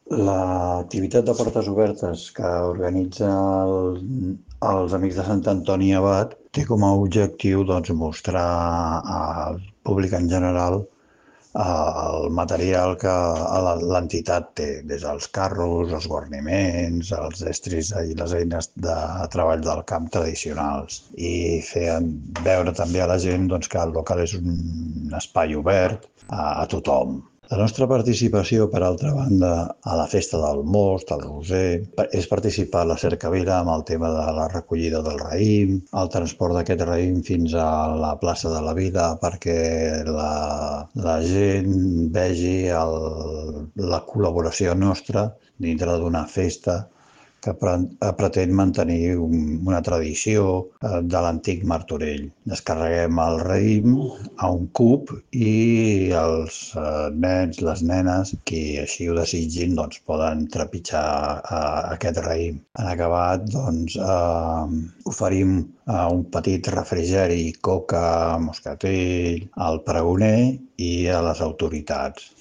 L'activitat de Portes Obertes que organitza els Amics de Sant Antoni Abat té com a objectiu doncs, mostrar al públic en general el material que l'entitat té, des dels carros, els guarniments, els estris i les eines de treball del camp tradicionals. I fer veure també a la gent doncs, que el local és un espai obert a tothom. La nostra participació, per altra banda, a la festa del most, al Roser, és participar a la cercavila amb el tema de la recollida del raïm, el transport d'aquest raïm fins a la plaça de la Vila perquè la gent vegi la col·laboració nostra dintre d'una festa que pretén mantenir una tradició de l'antic Martorell. Descarreguem el raïm a un cub i els nens, les nenes, qui així ho desitgin, doncs, poden trepitjar aquest raïm. En acabat, doncs, oferim un petit refrigeri, coca, moscatell, al pregoner i a les autoritats.